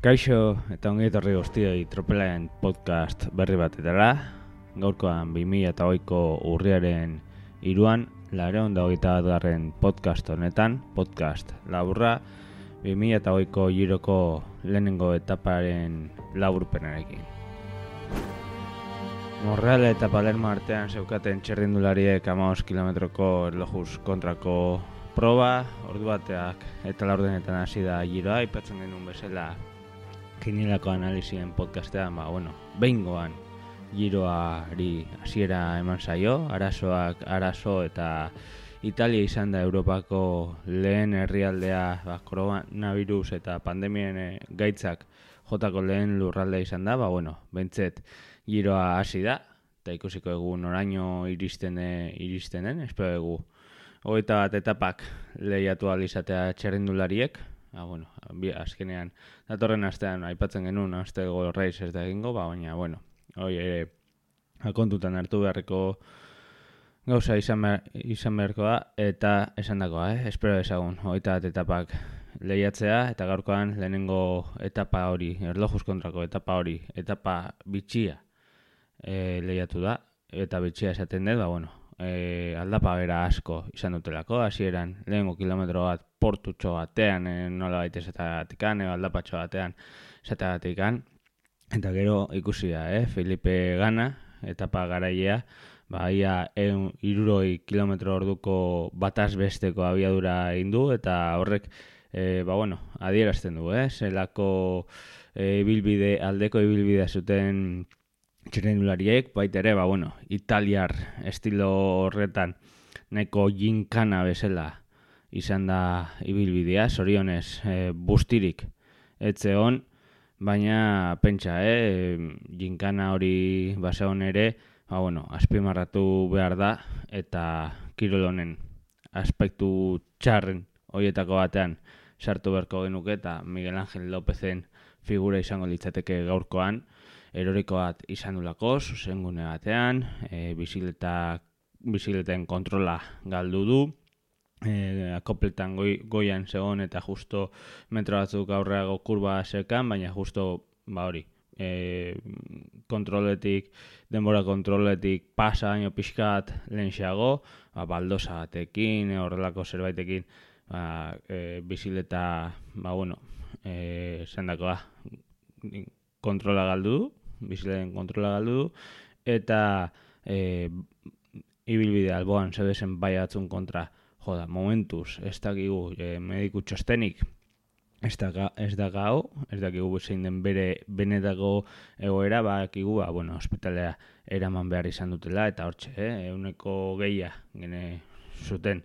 Kaixo eta ongi etorri guztioi Tropelaen podcast berri batetara. Gaurkoan 2008ko urriaren 3an, 821. Podcast honetan, podcast laburra, 2008ko Giroko lehenengo etaparen laburpenarekin. Monreal eta Palermo artean zeukaten txerrindulariek 15 kilometroko erlojuz kontrako proba, ordu bateak eta laurdenetan hasi da Giroa, aipatzen genuen bezala Kinielako analizien podcastean, behingoan Giroari hasiera eman zaio, arazo eta Italia izan da Europako lehen herrialdea, koronavirus eta pandemien gaitzak jotako lehen lurraldea izan da, bentzet Giroa hasi da, eta ikusiko egu noraino iristen den, espero egu 21 etapak lehiatu alizatea txerrindulariek. Azkenean, datorren astean aipatzen genuen astego Race ez da egingo, baina, hoi ere kontutan hartu beharreko gauza izan beharko da, eta esan dakoa, espero ezagun, 21 etapak lehiatzea, eta gaurkoan lehenengo etapa hori, erlojuz kontrako etapa hori, etapa bitxia lehiatu da, eta bitxia esaten dut, aldapa bera asko izan dutelako, hasieran lehenengo kilometro bat portutxo batean, nola baita esatagatikan, aldapatxo batean esatagatikan, eta gero ikusi da, Felipe Gana, etapa garailea, ia 160 kilometro orduko bataz besteko abiadura egin du, eta horrek, adierazten du, zelako aldeko ibilbidea zuten txirrindulariek, baita ere, italiar estilo horretan nahiko ginkana bezala izan da ibilbidea, zorionez bustirik etzeon, baina pentsa, ginkana hori baseon ere, azpimarratu behar da, eta kirol honen aspektu txarren horietako batean sartu beharko genuke, eta Miguel Ángel Lópezen figura izango litzateke gaurkoan, eroriko bat izan dulako, zuzengune batean, bizikleten kontrola galdu du, akopletan goian zegoen eta justo metro batzuk aurreago kurba zekan, baina justo denbora kontroletik pasa baino pixkat lehenxeago, baldosa batekin, horrelako zerbaitekin, bizikleta, zendakoa, kontrola galdu du, bizikleten kontrola galdu du, eta ibilbide alboan zebezen bai batzun kontra, momentuz, ez dakigu mediku txostenik, ez dakigu zein den bere benetako egoera, bakigu, ospitalea eraman behar izan dutela, eta hortxe, euneko gehia gene zuten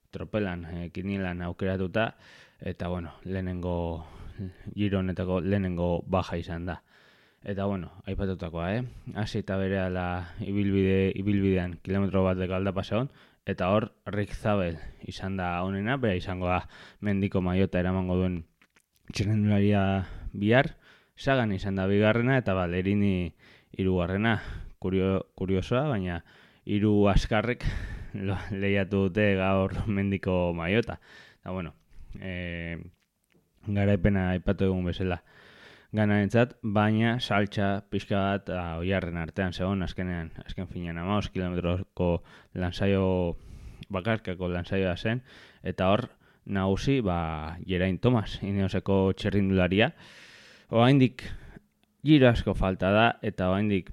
tropelan, kinielan aukeratuta, eta lehenengo Giro honetako lehenengo baja izan da. Eta aipatutakoa, hasi eta berehala ibilbidean kilometro bat deko aldapa zegoen, eta hor Rick Zabel izan da honena, bera izango da mendiko maiota eramango duen txirrindularia bihar, Sagan izan da bigarrena, eta Ballerini hirugarrena, kuriosoa, baina 3 askarrek lehiatu dute gaur mendiko maiota. Eta garaipena aipatu egun bezala Ganarentzat, baina saltxa pixka bat oiarren artean zegoen azken finean 15 kilometroko lansaio bakarkako lansaioa zen, eta hor nagusi Geraint Thomas, Ineoseko txerrindularia. Oraindik Giro asko falta da, eta oraindik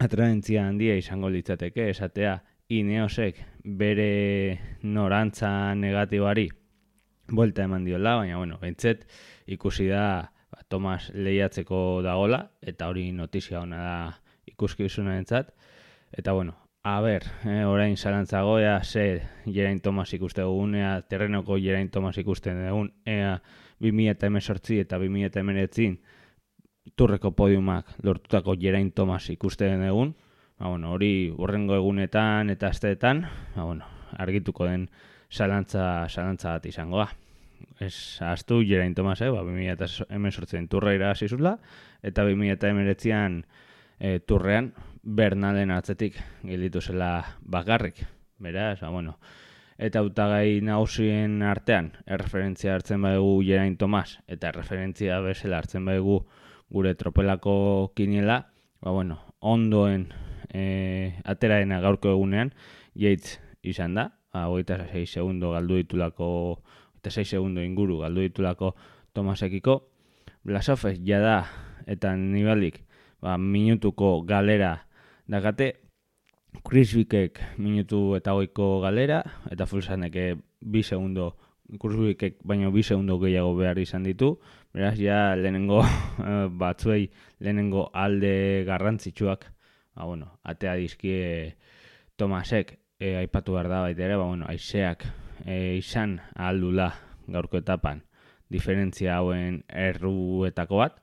atraentzia handia izango litzateke esatea Ineosek bere norantza negatiboari buelta eman diola, baina bentzet ikusi da Thomas lehiatzeko dagola, eta hori notizia ona da ikuskizunarentzat. Eta orain zalantzago, ze Geraint Thomas ikuste dugun, terrenoko Geraint Thomas ikusten dugun, 2018 eta 2019 turreko podiumak lortutako Geraint Thomas ikusten dugun, hori urrengo egunetan eta asteetan, argituko den zalantza bat izangoa. Ez ahaztu Geraint Thomas, 2018 turra irabazi zula, eta 2019an turrean Bernalen atzetik gelditu zela bakarrik. Beraz, eta hautagai nagusien artean erreferentzia hartzen badugu Geraint Thomas eta erreferentzia bezala hartzen badugu gure tropelako kiniela, ondoen ateraena gaurko egunean Yates izan da, 26 segundo galdu ditulako, 26 segundo inguru galdu ditulako Thomasekiko. Blasov jada eta Nibalik minutuko galera dakate, Chris Wickek minutu eta 20ko galera, eta Fulsanek 2 segundo, Chris Wickek baino 2 segundo gehiago behar izan ditu, beraz ja lehenengo batzuei lehenengo alde garrantzitsuak, atea dizkie Thomasek, aipatu behar da baita ere, haizeak izan ahaldula gaurko etapan diferentzia hauen erruetako bat,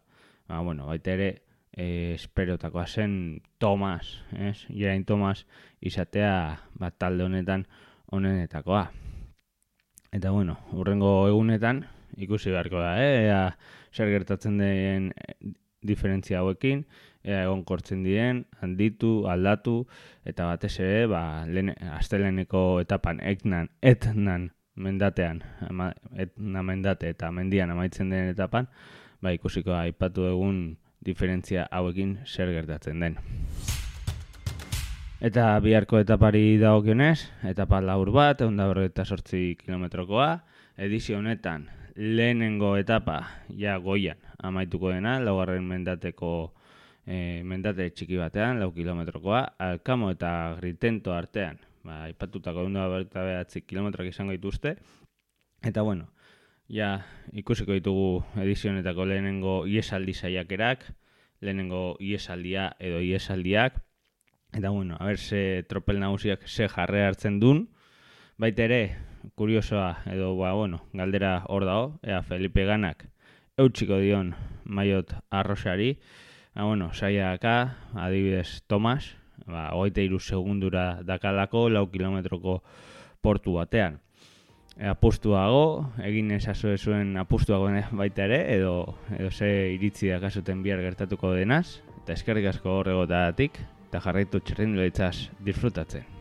baita ere esperotakoa zen Thomas, Geraint Thomas izatea talde honetan honenetakoa. Eta hurrengo egunetan ikusi beharko da, zer gertatzen den diferentzia hauekin, egonkortzen diren, handitu, aldatu, eta batez ere, asteleheneko etapan etnan mendatean, etna mendate eta mendian amaitzen den etapan, ikusiko aipatu egun diferentzia hauekin zer gertatzen den. Eta biharko etapari dagokionez, etapa labur bat, 148 kilometrokoa, edizio honetan lehenengo etapa goian amaituko dena, 4. mendateko mendate txiki batean, 4 kilometrokoa, Alkamo eta Gritento artean, aipatutako 149 kilometroak izango dituzte, eta ikusiko ditugu edizionetako lehenengo iesaldi saiakerak, lehenengo iesaldia edo iesaldiak, eta ze tropel nagusiak ze jarre hartzen duen, baita ere, kuriosoa edo galdera hor dago, Felipe Ganak eutxiko dion Maiot Arrosari, saiaka, adibidez Thomas, 23 segundura dakalako 4 kilometroko portu batean. Apustuago, egin ezazue zuen apustuago baita ere, edo ze iritzi dakazuten bihar gertatuko denaz, eta eskerrik asko horregotatik, eta jarraitu txirrindularitzaz disfrutatzen.